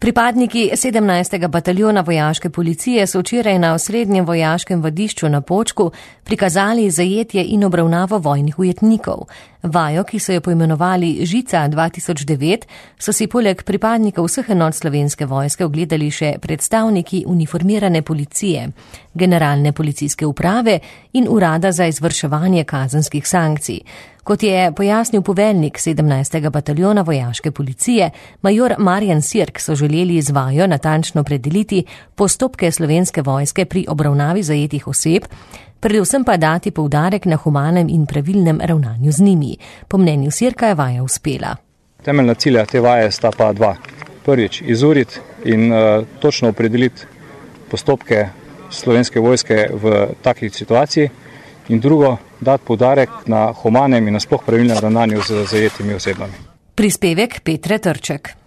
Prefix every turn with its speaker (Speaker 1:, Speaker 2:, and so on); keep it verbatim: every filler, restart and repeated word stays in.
Speaker 1: Pripadniki sedemnajstega bataljona vojaške policije so včeraj na osrednjem vojaškem vadišču na Počku prikazali zajetje in obravnavo vojnih ujetnikov. Vajo, ki so jo poimenovali Žica dva tisoč devet, so si poleg pripadnikov vseh enot Slovenske vojske ogledali še predstavniki uniformirane policije, generalne policijske uprave in urada za izvrševanje kazenskih sankcij. Kot je pojasnil poveljnik sedemnajstega bataljona vojaške policije, major Marjan Sirk, so želeli z vajo natančno predeliti postopke Slovenske vojske pri obravnavi zajetih oseb, predvsem pa dati poudarek na humanem in pravilnem ravnanju z njimi. Po mnenju Sirka je vaja uspela.
Speaker 2: Temeljna cilja te vaje sta pa dva. Prvič, izuriti in uh, točno opredeliti postopke Slovenske vojske v takih situaciji in drugo, dati poudarek na humanem in nasploh pravilnem ravnanju z zajetimi osebami.
Speaker 1: Prispevek Petre Trček.